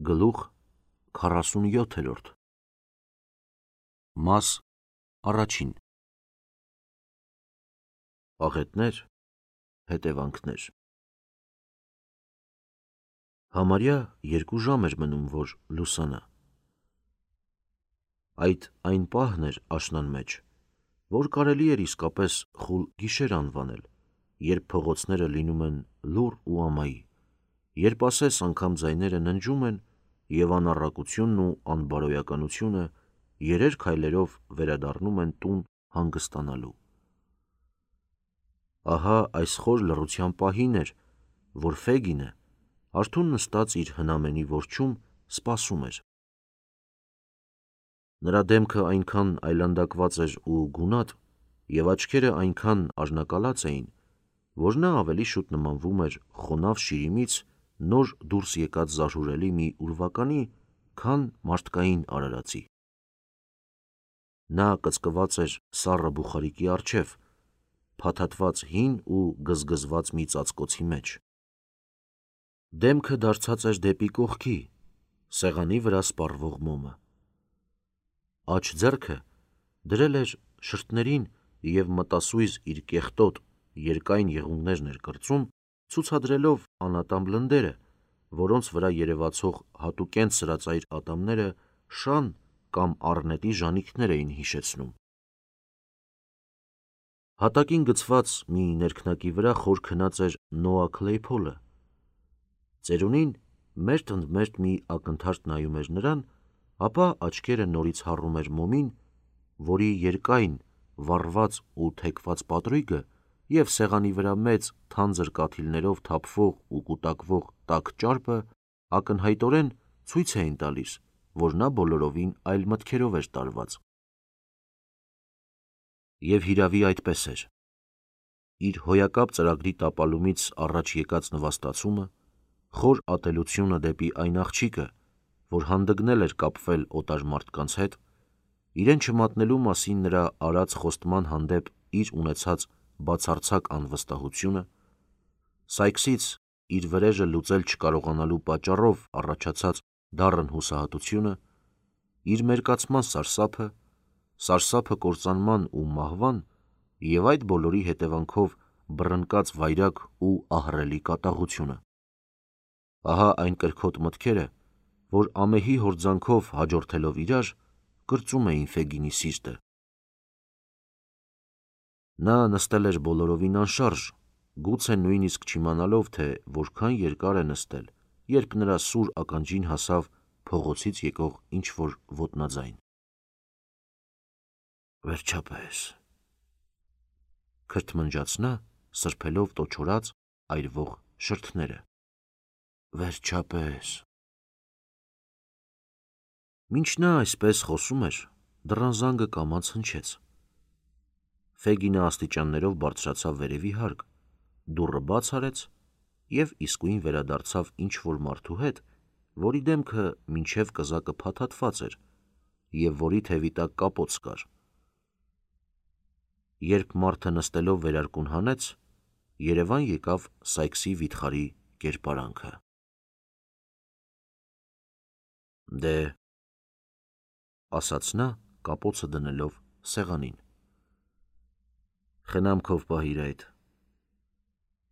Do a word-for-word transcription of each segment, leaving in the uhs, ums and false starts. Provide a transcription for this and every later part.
Գլուխ քառասունյոթերորդ Մաս առաջին Աղետներ, հետևանքներ Համարյա երկու ժամ էր մնում, որ լուսանա։ Այդ այն պահն էր աշնան մեջ, որ կարելի էր իսկապես խուլ գիշեր անվանել, երբ փողոցները լինում են լուռ ու ամայի, երբ ասես անգամ ձայները ննջում են և անառակությունն ու անբարոյականությունը երեր քայլերով վերադառնում են տուն հանգստանալու։ Ահա այս խոր լռության պահին էր, որ Ֆեգինը արթուն նստած իր հնամենի որջում սպասում էր։ Նրա դեմքը այնքան այլանդակված էր ու գունատ, և աչքերը այնքան արնակալած էին, որ նա ավելի շուտ նմանվում էր խոնավ շիրիմից նոր դուրս եկած զարհուրելի մի ուրվականի, քան մարդկային արարածի։ Նա կծկված էր սառը բուխարիկի առջև, փաթաթված հին ու գզգզված մի ծածկոցի մեջ։ Դեմքը դարձած էր դեպի կողքի, սեղանի վրա սպառվող մոմը։ Աջ ձեռքը դրել էր շրթներին և մտասույզ իր կեղտոտ, երկայն եղունգներն էր կրծում, ցուցադրելով անատամ լնդերը, որոնց վրա երևացող հատուկենտ սրածայր ատամները շան կամ առնետի ժանիքներ էին հիշեցնում։ Հատակին գցված մի ներքնակի վրա խոր քնած էր Նոա Քլեյփոլը։ Ծերունին մերթ ընդ մերթ մի ակնթարթ նայում էր նրան, ապա աչքերը նորից հառում էր մոմին, որի երկայն, վառված ու թեքված պատրույգը և սեղանի վրա մեծ, թանձր կաթիլներով թափվող ու կուտակվող տաք ճարպը ակնհայտորեն ցույց էին տալիս, որ նա բոլորովին այլ մտքերով էր տարված։ Եվ հիրավի այդպես էր։ Իր հոյակապ ծրագրի տապալումից առաջ եկած նվաստացումը, խոր ատելությունը դեպի այն աղջիկը, որ հանդգնել էր կապվել օտար մարդկանց հետ, իրեն չմատնելու մասին նրա արած խոստման հանդեպ իր ունեցած բացարձակ անվստահությունը, Սայքսից իր վրեժը լուծել չկարողանալու պատճառով առաջացած դառն հուսահատությունը, իր մերկացման սարսափը, սարսափը կործանման ու մահվան և այդ բոլորի հետևանքով բռնկած վայրագ ու ահռելի կատաղությունը։ Ահա այն կրքոտ մտքերը, որ ամեհի հորձանքով հաջորդելով իրար, կրծում էին Ֆեգինի սիրտը։ Նա նստել էր բոլորովին անշարժ, գուցե նույնիսկ չիմանալով, թե որքան երկար է նստել, երբ նրա սուր ականջին հասավ փողոցից եկող ինչ-որ ոտնաձայն։ Վերջապես, քրթմնջաց նա, սրբելով տոչորած, այրվող շրթները։ Վերջապես։ Մինչ նա այսպես խոսում էր, դռան զանգը կամաց հնչեց։ Ֆեգինը աստիճաններով բարձրացավ վերևի հարկ, դուռը բաց արեց և իսկույն վերադարձավ ինչ-որ մարդու հետ, որի դեմքը մինչև կզակը փաթաթված էր և որի թևի տակ կապոց կար։ Երբ մարդը նստելով վերարկուն հանեց, երևան եկավ Սայքսի վիթխարի կերպարանքը։ Դե, ասաց նա, կապոցը դնելով սեղանին, խնամքով պահիր այդ,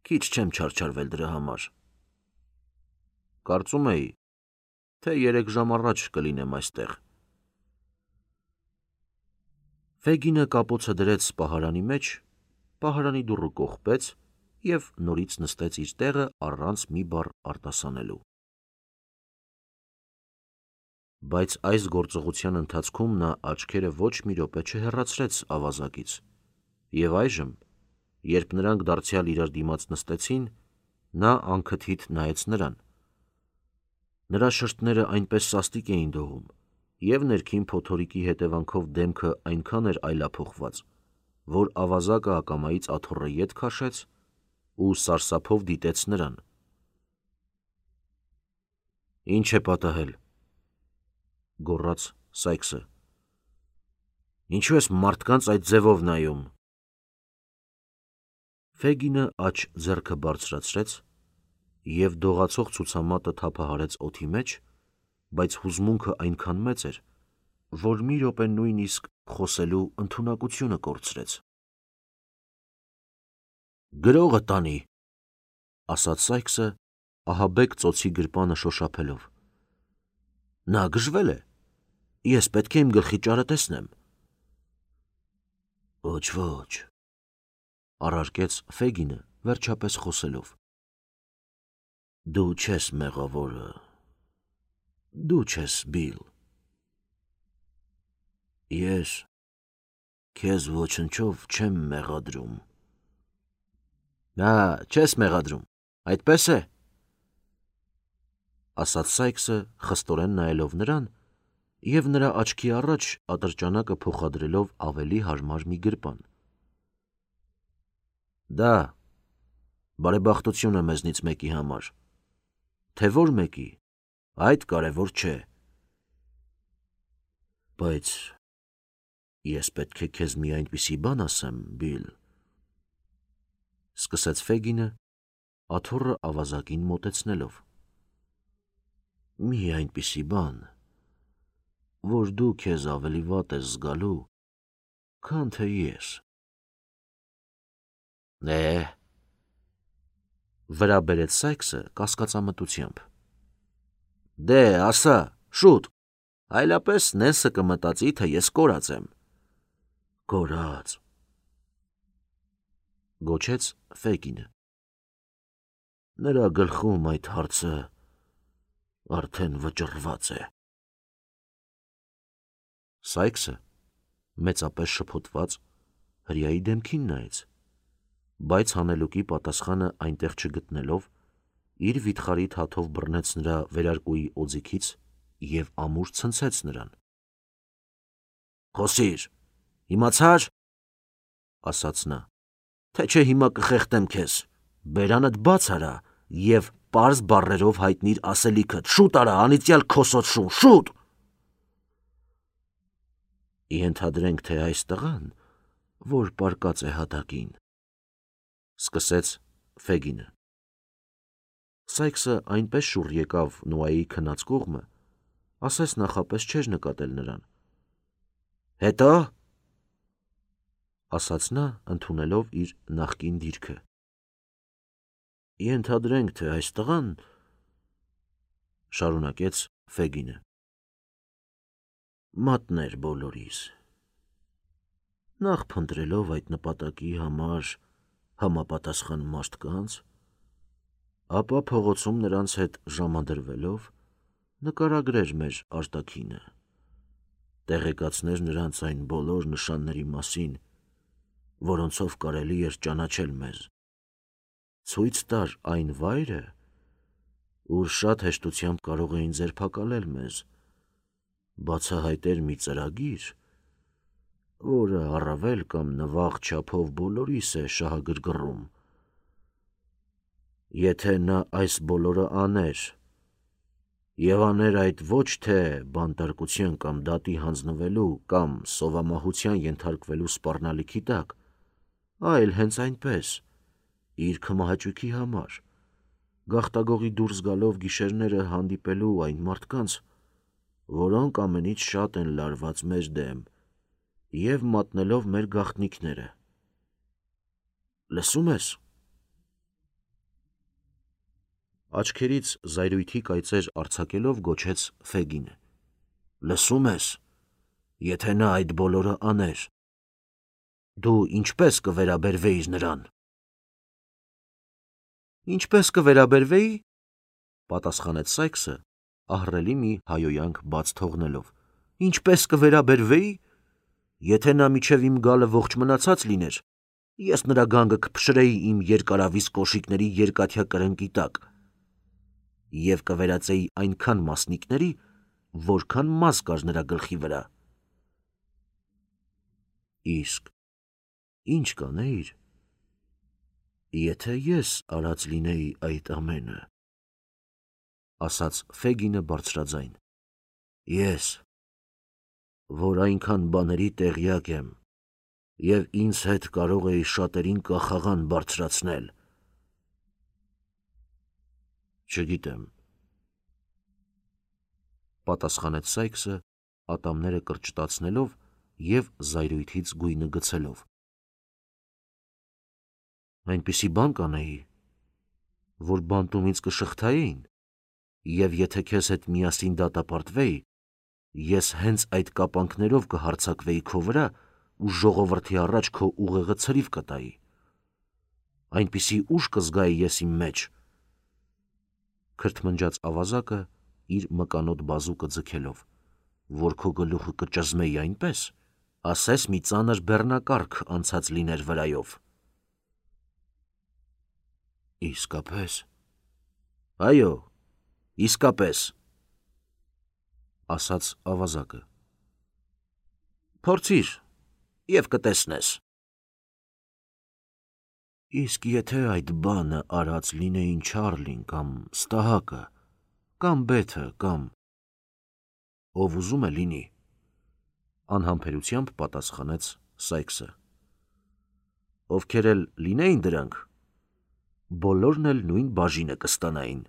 քիչ չեմ չարչարվել դրա համար։ Կարծում էի, թե երեք ժամ առաջ կլինեմ այստեղ։ Ֆեգինը կապոցը դրեց պահարանի մեջ, պահարանի դուռը կողպեց և նորից նստեց իր տեղը առանց մի բառ արտասանելու։ Բայց այս գործողության ընթացքում նա աչքերը ոչ մի րոպե չհեռացրեց ավազակից, և այժմ, երբ նրանք դարձյալ իրար դիմաց նստեցին, նա անքթիթ նայեց նրան։ Նրա շրթները այնպես սաստիկ էին դողում, և ներքին փոթորիկի հետևանքով դեմքը այնքան էր այլափոխված, որ ավազակը ակամայից աթոռը ետ քաշեց ու սարսափով դիտեց նրան։ Ինչ է պատահել, գոռաց Սայքսը, ինչու ես մարդկանց այդ ձևով նայում։ Ֆեգինը աջ ձեռքը բարձրացրեց և դողացող ցուցամատը թափահարեց օդի մեջ բայց հուզմունքը այնքան մեծ էր, որ մի րոպե նույնիսկ խոսելու ընդունակությունը կորցրեց։ «Գրողը տանի», ասաց Սայքսը, ահաբեկ ծոցի գրպանը շոշափելով։ «Նա գժվել է, ես պետք է իմ գլխի ճարը տեսնեմ»։ «Ոչ, ոչ», առարկեց Ֆեգինը, վերջապես խոսելով։ «Դու չես մեղավորը, դու չես Բիլ։ Ես քեզ ոչնչով չեմ մեղադրում»։ «Ա, չես մեղադրում, այդպես է», ասաց Սայքսը, խստորեն նայելով նրան և նրա աչքի առաջ ատրճանակը փոխադրելով ավելի հարմար մի գրպան։ «Դա բարեբախտություն է մեզնից մեկի համար, թե որ մեկի, այդ կարևոր չէ։ Բայց ես պետք է քեզ մի այնպիսի բան ասեմ, Բիլ», սկսեց Ֆեգինը, աթոռը ավազակին մոտեցնելով։ «Մի այնպիսի բան, որ դու քեզ ավելի վատ ես զգալու, քան թե ես»։ «Է՞, վրա բերեց Սայքսը կասկածամտությամբ։ «Դե, ասա, շուտ, այլապես Նենսը կմտածի, թե ես կորած եմ»։ «Կորած», գոչեց Ֆեգինը։ «Նրա գլխում այդ հարցը արդեն վճռված է»։ Սայքսը մեծապես շփոթված հրեայի դեմքին նայեց, բայց հանելուկի պատասխանը այնտեղ չգտնելով, իր վիթխարի թաթով բռնեց նրա վերարկուի օձիքից և ամուր ցնցեց նրան։ «Խոսիր, իմացա՞ր», ասաց նա, «թե չէ հիմա կխեղդեմ քեզ, բերանդ բաց արա և պարզ բառերով հայտնիր ասելիքդ, շուտ արա, անիծյալ քոսոտ շուն, շուտ»։ «Ենթադրենք, թե այս տղան, որ պառկած է հատակին», սկսեց Ֆեգինը։ Սայքսը այնպես շուռ եկավ Նոայի քնած կողմը, ասես նախապես չէր նկատել նրան։ «Հետո՞», ասաց նա, ընդունելով իր նախկին դիրքը։ «Ենթադրենք, թե այս տղան», շարունակեց Ֆեգինը, «մատներ բոլորիս, նախ փնտրելով այդ նպատակի համար համապատասխան մարդկանց, ապա փողոցում նրանց հետ ժամադրվելով նկարագրեր մեր արտաքինը, տեղեկացներ նրանց այն բոլոր նշանների մասին, որոնցով կարելի էր ճանաչել մեզ, ցույց տար այն վայրը, ուր շատ հեշտությամբ կարող էին ձերբակալել մեզ, բացահայտեր մի ծրագիր, որը առավել կամ նվաղ չափով բոլորիս է շահագրգռում։ Եթե նա այս բոլորը աներ, և աներ այդ ոչ թե բանտարկության կամ դատի հանձնվելու կամ սովամահության ենթարկվելու սպառնալիքի տակ, այլ հենց այնպես, իր քմահաճույքի համար, գաղտագողի դուրս գալով գիշերները հանդիպելու այն մարդկանց, որոնք ամենից շատ են լարված մեր դեմ, և մատնելով մեր գաղտնիքները։ Լսո՞ւմ ես։ Աչքերից զայրույթի կայծեր արձակելով գոչեց Ֆեգինը։ Լսո՞ւմ ես, եթե նա այդ բոլորը աներ, դու ինչպես կվերաբերվեիր նրան։ Ինչպես կվերաբերվեի, պատասխանեց Սայքսը, ահռելի մի հայոյանք բաց թողնելով։ Ինչպես կվերաբերվեի, եթե նա միջև իմ գալը ողջ մնացած լիներ, ես նրա գանգը կփշրեի իմ երկարավիզ կոշիկների երկաթյա կրնկի տակ և կվերածեի այնքան մասնիկների, որքան մազ կար նրա գլխի վրա։ Իսկ ինչ կանեիր, եթե ես արած լինեի այդ ամենը, ասաց Ֆեգինը բարձրաձայն, ես, որ այնքան բաների տեղյակ եմ և ինձ հետ կարող էի շատերին կախաղան բարձրացնել։ Չգիտեմ, պատասխանեց Սայքսը, ատամները կրճտացնելով և զայրույթից գույնը գցելով։ Այնպիսի բան կանեի, որ բանտումից կշղթային, և եթե քեզ հետ միասին դատապարտվեի, ես հենց այդ կապանքներով կհարձակվեի քո վրա ու ժողովրդի առաջ քո ուղեղը ցրիվ կտայի։ Այնպիսի ուժ կզգայի ես իմ մեջ, քրթմնջաց ավազակը իր մկանոտ բազուկը ձգելով, որ քո գլուխը կճզմեի այնպես, ասես մի ծանր բեռնակառք անցած լիներ վրայով։ Իսկապես։ Այո, իսկապես, ասաց ավազակը։ Փորձիր և կտեսնես։ Իսկ եթե այդ բանը արած լինեին Չարլին կամ Ստահակը, կամ Բեթը, կամ… Ով ուզում է լինի, անհամբերությամբ պատասխանեց Սայքսը։ Ովքեր էլ լինեին դրանք, բոլորն էլ նույն բաժինը կստանային։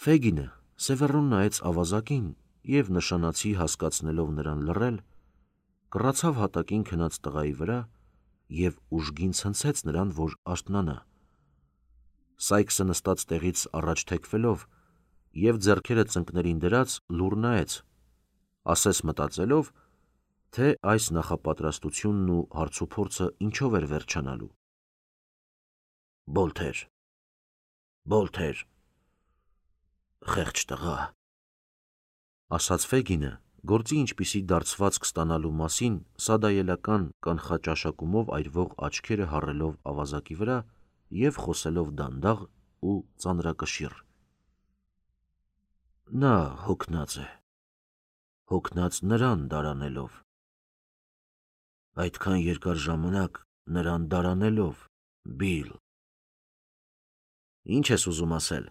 Ֆեգինը սևեռուն նայեց ավազակին և նշանացի հասկացնելով նրան լռել, կռացավ հատակին քնած տղայի վրա և ուժգին ցնցեց նրան, որ արթնանա։ Սայքսը նստած տեղից առաջ թեքվելով և ձեռքերը ծնկներին դրած լուռ նայեց, ասես մտածելով, թե այս նախապատրաստությունն ու հարցուփորձը ինչով էր վերջանալու։ Բոլթեր, Բոլթեր, խեղճ տղա, ասաց Ֆեգինը, գործի ինչպիսի դարձվածք ստանալու մասին սադայելական կանխաճաշակումով այրվող աչքերը հառելով ավազակի վրա և խոսելով դանդաղ ու ծանրակշիռ։ Նա հոգնած է, հոգնած նրան դարանելով։ Այդքան երկար ժամանակ նրան դարանելով, Բիլ։ Ինչ ես ուզում ասել,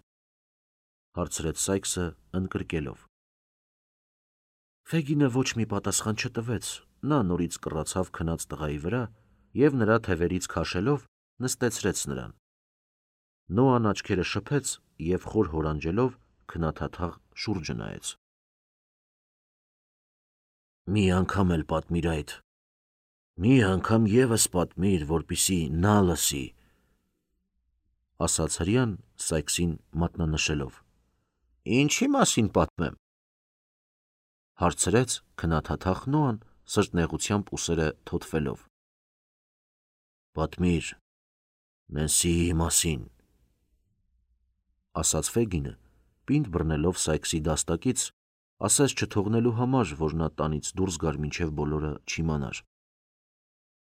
հարցրեց Սայքսը ընկրկելով։ Ֆեգինը ոչ մի պատասխան չտվեց, նա նորից կռացավ քնած տղայի վրա և նրա թևերից քաշելով նստեցրեց նրան։ Նոան աչքերը շփեց և խոր հորանջելով քնաթաթաղ շուրջը նայեց։ Մի անգամ էլ պատմիր այդ, մի անգամ ևս պատմիր, որպեսզի նա լսի, ասաց հրեան Սայքսին մատնանշելով։ Ինչի մասին պատմեմ, հարցրեց քնաթաթախ Նոան սրտնեղությամբ ուսերը թոթվելով։ Պատմիր Նենսիի մասին, ասաց Ֆեգինը, պինդ բռնելով Սայքսի դաստակից, ասես չթողնելու համար, որ նա տանից դուրս գար, մինչև բոլորը չիմանար։